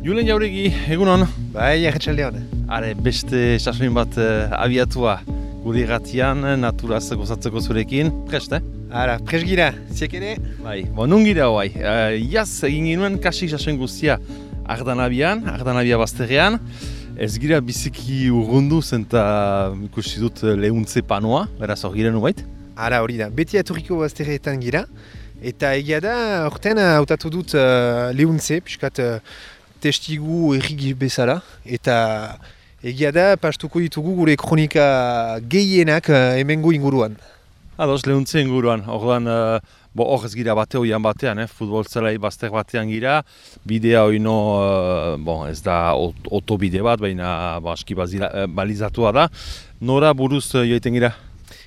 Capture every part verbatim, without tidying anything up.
Julen Jauregi, egunon? Bai, arratsaldeon. Are, beste sasoin bat uh, abiatua gure irratian, naturaz gozatzeko zurekin. Prest, eh? Ara, prest gira, ziek ere? Bai, bo, nun gira hoai. Uh, Iaz egin ginuen kasik sasoin guztia Ardanabian, Ardanabia bazterrean. Ez gira biziki urrundu zen eta ikusi dut lehuntze panoa, beraz hor gira nubait? Ara, hori da, beti aturriko bazterreetan gira. Eta egia da, horten hautatu dut uh, lehuntze, piskat uh, testigu errigi bezala, eta egia da, pastuko ditugu gure kronika gehienak uh, hemengo inguruan. Ados, lehuntze inguruan, orduan, uh, bo hor ez gira bate hoian batean, eh? Futbol zelai bazter batean gira, bidea hoino, uh, bon, ez da otobide bat, baina bo, aski bazila, balizatua da, nora buruz uh, joiten gira?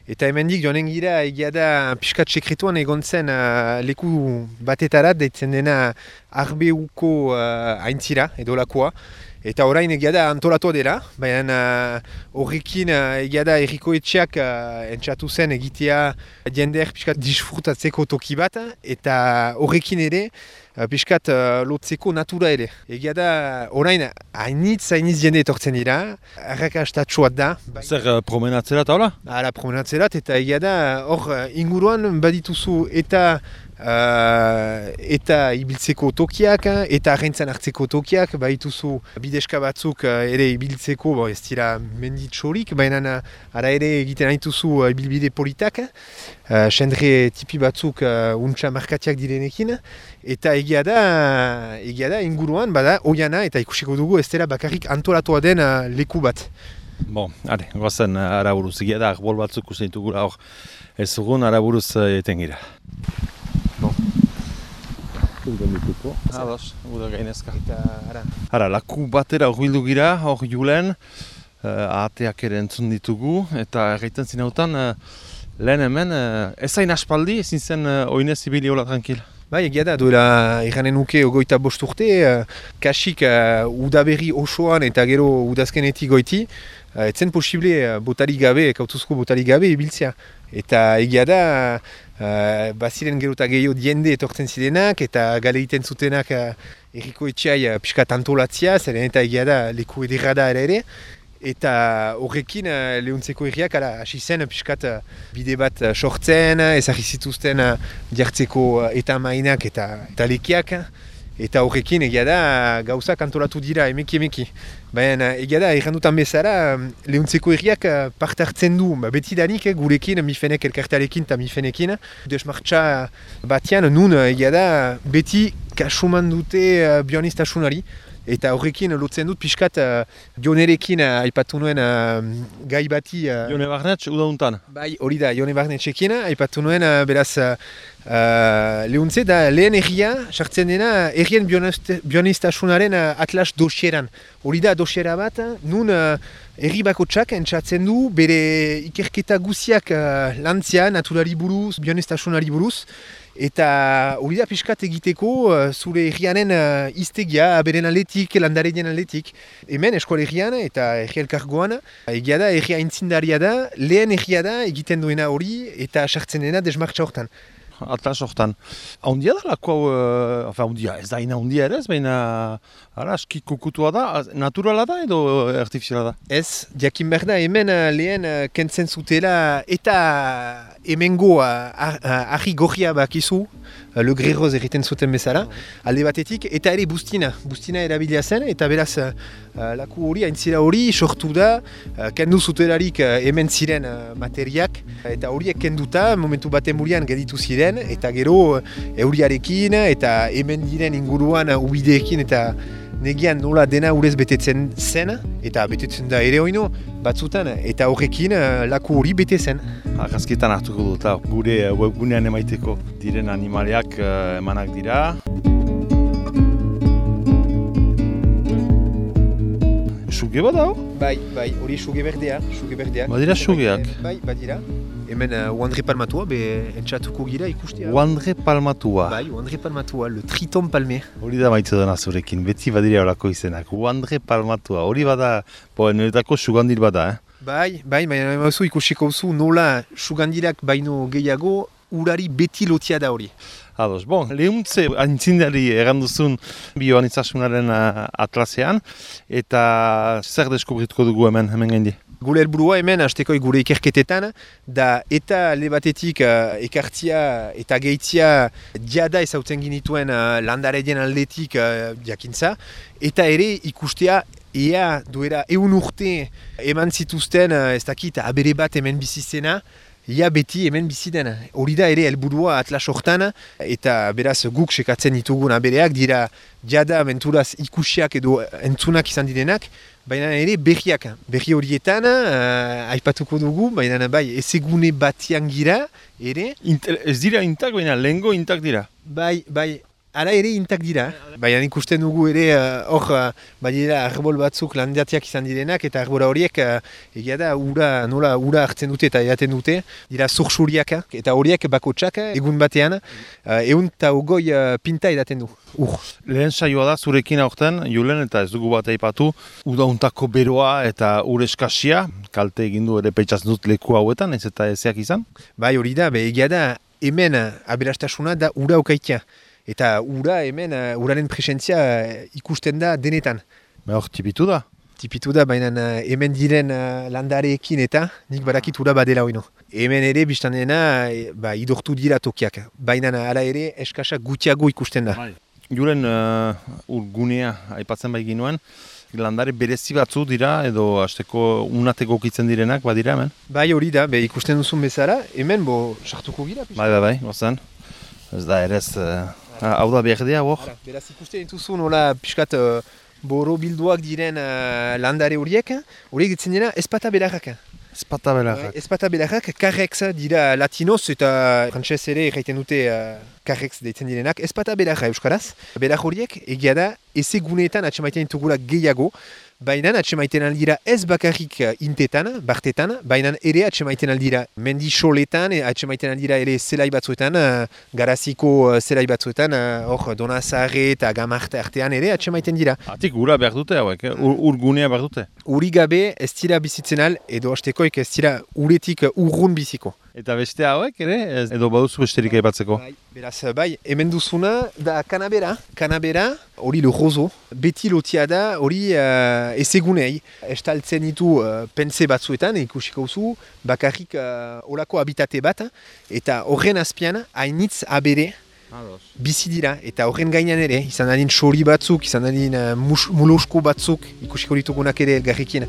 Eta hemendik joanen gira, egia da, piskat sekretuan egon zen uh, leku batetarat, deitzen dena Arbeuko uh, aintzira, edo lakoa. Eta orain egia da antolatua dela, baina horrekin uh, egia da erriko etxeak uh, entzatu zen egitea jender piskat disfrutatzeko toki bat, eta horrekin ere uh, piskat uh, lotzeko natura ere. Egia da orain hainitz hainitz jende etortzen dira, arrakastatsuat da. Zer uh, promenatzerat, hola? Hala, promenatzerat, eta egia da hor uh, inguruan badituzu eta Uh, eta ibiltzeko tokiak, eta arraintzan hartzeko tokiak, baituzu bideska batzuk uh, ere ibiltzeko, bo, ez dira menditxorik, baina ara ere egiten haituzu uh, ibilbide politak, uh, sendre tipi batzuk uh, untxa markatiak direnekin, eta egia da, egia da inguruan, bada, oiana, eta ikusiko dugu ez dela bakarrik antolatua den uh, leku bat. Bon, are, goazen uh, araburuz, egia da, arbol batzuk usain dugula hor, ez dugun araburuz uh, eten gira. Ados, uda gainezka. Eta, ara. Ara, laku batera hor gira, hor Julen, uh, ahateak ere entzun ditugu, eta erraiten zinautan, uh, lehen hemen, uh, ez hain aspaldi, ezin zen uh, oinez ibili hola tranquil. Bai, egia da, duela iranen nuke ogoita bost urte, uh, kasik uh, udaberri osoan eta gero udazkenetik goiti, uh, etzen posible uh, botari gabe, kautuzko botari gabe ibiltzea. Eta egia da, uh, baziren gero eta gehiago diende etortzen zirenak, eta gale egiten zutenak uh, erriko etxeai uh, piskat antolatzia, zeren eta egia da leku ederra da ere ere. Eta horrekin uh, lehuntzeko herriak hasi zen piskat uh, bide bat uh, sortzen, ezagri zituzten uh, jartzeko uh, eta mainak eta, eta lekiak. Eta horrekin egia da gauzak antolatu dira emeki emeki. Baina egia da errandutan bezala lehuntzeko herriak uh, parte hartzen du ba, betidanik eh, gurekin, mifenek elkartearekin eta mifenekin. Desmartxa batean nun egia da beti kasuman dute uh, bionistasunari. Eta horrekin lotzen dut pixkat uh, Jonerekin uh, aipatu nuen uh, gai bati... Uh, Jone Barnetx, udauntan? Bai, hori da, Jone Barnetxekin aipatu nuen uh, beraz uh, uh, lehuntze da lehen erria, sartzen dena errien bionistasunaren uh, atlas dosieran. Hori da dosiera bat, nun uh, erri bakotxak entzatzen du bere ikerketa guziak uh, lantzia, naturari buruz, bionistasunari buruz. Eta hori da pixkat egiteko uh, zure herrianen uh, iztegia, aberen aldetik, landareien aldetik. Hemen eskolegian eta herri elkargoan, egia da herria intzindaria da, lehen herria da egiten duena hori eta sartzen dena desmartxa hortan. Atlas hortan. Haundia da lako, uh, enfin, haundia, ez da ina haundia ere ez, baina ara, aski kukutua da, naturala da edo artifiziala da? Ez, jakin behar da, hemen uh, lehen uh, kentzen zutela eta hemengo uh, argi gorria bakizu, uh, le greroz erriten zuten bezala, alde batetik, eta ere bustina, bustina erabilia zen, eta beraz uh, laku hori, aintzira hori, sortu da, uh, kendu zutelarik uh, hemen ziren uh, materiak, eta horiek kenduta, momentu baten burian geditu ziren, eta gero euriarekin eta hemen diren inguruan ubideekin eta negian nola dena urez betetzen zen, eta betetzen da ere oino batzutan, eta horrekin laku hori bete zen. Argazkietan hartuko dut, gure webgunean emaiteko diren animaliak uh, emanak dira. Suge bat hau? Bai, bai, hori suge berdea, suge berdeak. Badira sugeak? Bai, badira. Hemen uh, Uandre Palmatua, be entzatuko gira ikustea. Uandre Palmatua? Bai, Uandre Palmatua, le triton palme. Hori da maitzu dena zurekin, beti badira horako izenak. Uandre Palmatua, hori bada, bo, niretako sugandir bada, eh? Bai, bai, baina emazu ikusiko zu nola sugandirak baino gehiago urari beti lotia da hori. Ados, bon, lehuntze aintzindari erranduzun bioanitzasunaren uh, atlasean, eta zer deskubrituko dugu hemen, hemen gaindi? Gure helburua hemen, hastekoi gure ikerketetan, da eta alde batetik uh, ekartzia eta gehitzia diada ezautzen ginituen uh, landaredien aldetik uh, jakintza, eta ere ikustea ea duera eun urte eman zituzten, uh, ez dakit, abere bat hemen bizizena, ia beti hemen bizi dena. Hori da ere helburua atlas hortan, eta beraz guk sekatzen ditugun abereak dira jada menturaz ikusiak edo entzunak izan direnak, baina ere berriak. Berri horietan, uh, aipatuko dugu, baina bai ezegune batian gira, ere. Inter, ez dira intak, baina lehengo intak dira. Bai, bai. Hala ere intak dira, baina ikusten dugu ere hor uh, badira arbol batzuk landiatiak izan direnak eta arbora horiek uh, egia da ura, nola ura hartzen dute eta edaten dute, dira zursuriak eta horiek bakotsak egun batean uh, egun eta ogoi uh, pinta edaten du. Ur. Lehen saioa da zurekin aurten, Julen, eta ez dugu bat aipatu, udauntako beroa eta ur eskasia, kalte egin du ere peitzatzen dut leku hauetan, ez eta ezeak izan? Bai hori da, be, egia da hemen aberastasuna da ura okaitia. Eta ura hemen, uh, uraren presentzia uh, ikusten da denetan. Ba hor, tipitu da? Tipitu da, baina uh, hemen diren uh, landareekin eta nik badakit ura badela hoino. Hemen ere biztan dena, e, ba, idortu dira tokiak. Baina hala ere eskasak gutiago ikusten da. Julen, uh, urgunea aipatzen bai ginuen, landare berezi batzu dira edo hasteko unateko kitzen direnak badira hemen? Bai hori da, be, ikusten duzun bezala, hemen bo sartuko gira. Bai, bai, bai, gozan. Ez da ere ez... Uh... Hau da berdea, hor? Beraz ikusten dituzu nola pixkat uh, boro bilduak diren uh, landare horiek, horiek ditzen dira espata belarrak. Espata belarrak. Espata belarrak, karrex dira latinoz eta frantxez ere erraiten dute uh, karrex deitzen direnak. Espata belarra euskaraz. Belar horiek egia da ezeguneetan atxemaiten ditugula gehiago, baina atxemaiten aldira ez bakarrik intetan, bartetan, baina ere atxemaiten aldira mendi soletan, atxemaiten aldira ere zelai batzuetan, garaziko zelai batzuetan, hor Donazarre eta Gamarte artean ere atxemaiten dira. Atik ura behar dute hauek, eh? Ur, urgunea behar dute? Uri gabe ez dira bizitzen al, edo hastekoik ez dira uretik urrun biziko. Eta beste hauek ere, edo baduzu besterik aipatzeko? Bai, beraz, bai, hemen duzuna da kanabera. Kanabera, hori le rozo, beti lotia da, hori uh, ezegunei. Estaltzen ditu uh, pense batzuetan, ikusiko zu, bakarrik uh, olako habitate bat, eta horren azpian, hainitz abere, bizi dira, eta horren gainean ere, izan adin sori batzuk, izan adin uh, mulosko batzuk, ikusiko ditugunak ere elgarrikin.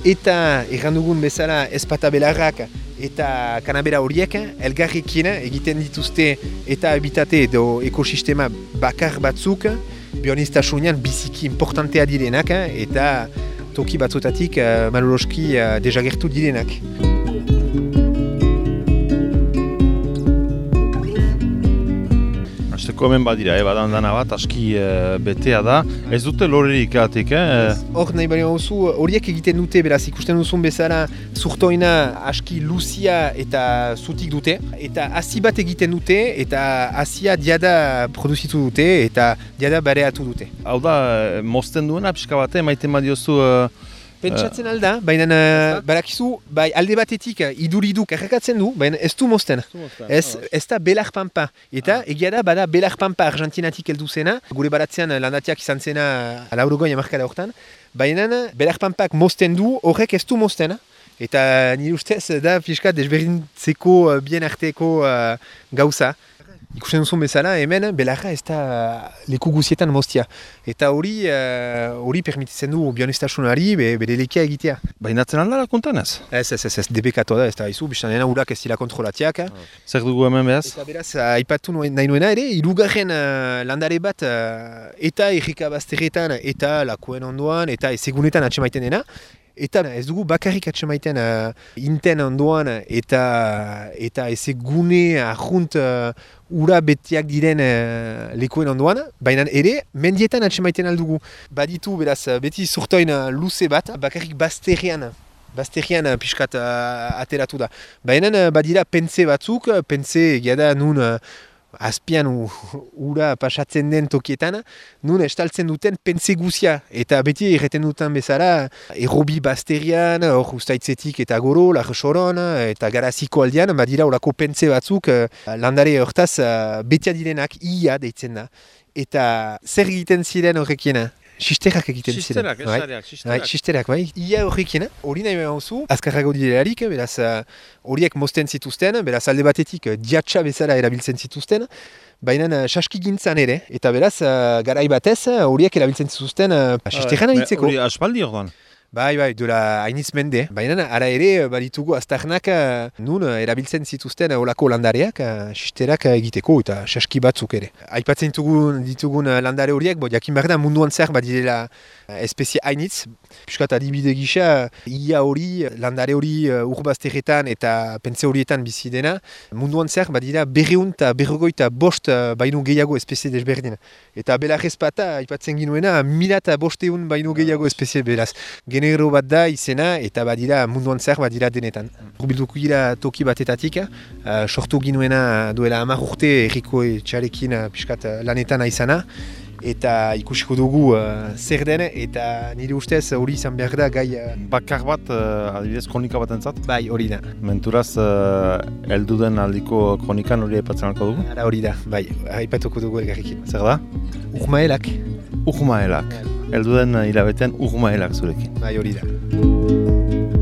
Eta errandugun bezala espata belarrak eta kanabera horiek elgarrikin egiten dituzte eta habitate edo ekosistema bakar batzuk, bionistasunean biziki importantea direnak eta toki batzutatik uh, maloloski uh, dejagertu direnak. Azteko hemen badira, eh, badandana bat, aski e, betea da. Ez dute lorerik atik, eh? Hor nahi bali hauzu, horiek egiten dute, beraz, ikusten duzun bezala, zurtoina aski luzia eta zutik dute. Eta hasi bat egiten dute, eta hasia diada produzitu dute, eta diada bareatu dute. Hau da, mozten duena, pixka bate, maiten badiozu... Uh... Pentsatzen alda, baina uh, barakizu, bai, alde batetik iduridu karrakatzen du, baina ez du mozten. Ez, ez da belar pampa. Eta ah. egia da, bada belar pampa argentinatik heldu zena, gure baratzean landatiak izan zena laurogoi amarkada hortan, baina belar pampak mozten du, horrek ez du mozten. Eta nire ustez da pixka desberdintzeko bien arteko uh, gauza. Ikusten duzun bezala, hemen belarra ez da leku guzietan moztia. Eta hori hori uh, permititzen du bionestasunari be, bere lekia egitea. Bainatzen aldara kontan ez? Ez, ez, ez, ez, debekatu da, ez da izu, biztan dena urak ez dira kontrolatiak. Oh. Zer dugu hemen behaz? Eta beraz, aipatu nahi nuena ere, hirugarren uh, landare bat uh, eta errika bazterretan eta lakuen ondoan eta ezegunetan atxemaiten dena. Eta ez dugu bakarrik atxemaiten uh, inten ondoan eta eta ezegune ahunt uh, ura betiak diren uh, lekuen ondoan, baina ere mendietan atxemaiten aldugu. Baditu beraz beti zurtoin luze bat, bakarrik bazterrean. Bazterrean pixkat uh, ateratu da. Baina uh, badira pense batzuk, pense egia da nun uh, azpian u, ura pasatzen den tokietan, nun estaltzen duten pentze guzia. Eta beti erreten duten bezala, errobi basterian, hor ustaitzetik eta goro, larsoron, eta garaziko aldean, badira horako pentze batzuk, landare hortaz betia direnak, ia deitzen da. Eta zer egiten ziren horrekiena? Sisterak egiten ziren. Sisterak, esareak, sisterak. Sisterak, bai. Ia horrekiena, hori nahi behar zu, azkarrago direlarik, beraz horiek mozten zituzten, beraz alde batetik diatxa bezala erabiltzen zituzten, baina saskigintzan ere, eta beraz garai batez horiek erabiltzen zituzten sisteran aritzeko. Hori aspaldi orduan? Bai, bai, duela hainiz mende. Baina ara ere baditugu aztarnak nun erabiltzen zituzten olako landareak, sisterak egiteko eta saski batzuk ere. Aipatzen ditugun, ditugun landare horiek, bo jakin behar da munduan zer badirela espezie hainitz. Piskat adibide gisa, ia hori, landare hori urbazterretan eta pentze horietan bizi dena, munduan zer badira berreun eta berrogoita bost baino gehiago espezie desberdin. Eta belarrez pata, aipatzen ginuena, mila eta bosteun baino gehiago espezie beraz. Genero bat da izena eta badira munduan zer badira denetan. Urbilduko gira toki batetatik, uh, sortu ginuena duela hamar urte erriko etxarekin uh, piskat uh, lanetan aizana. Eta ikusiko dugu uh, zer den eta nire ustez hori izan behar da gai... Uh... Bakar bat, uh, adibidez, kronika bat entzat? Bai, hori da. Menturaz, uh, eldu den aldiko kronikan hori aipatzen alko dugu? Ara hori da, bai, aipatuko dugu elgarrikin. Zer da? Urmaelak. Urmaelak. Eldu den hilabetean urmaelak zurekin. Bai, hori da.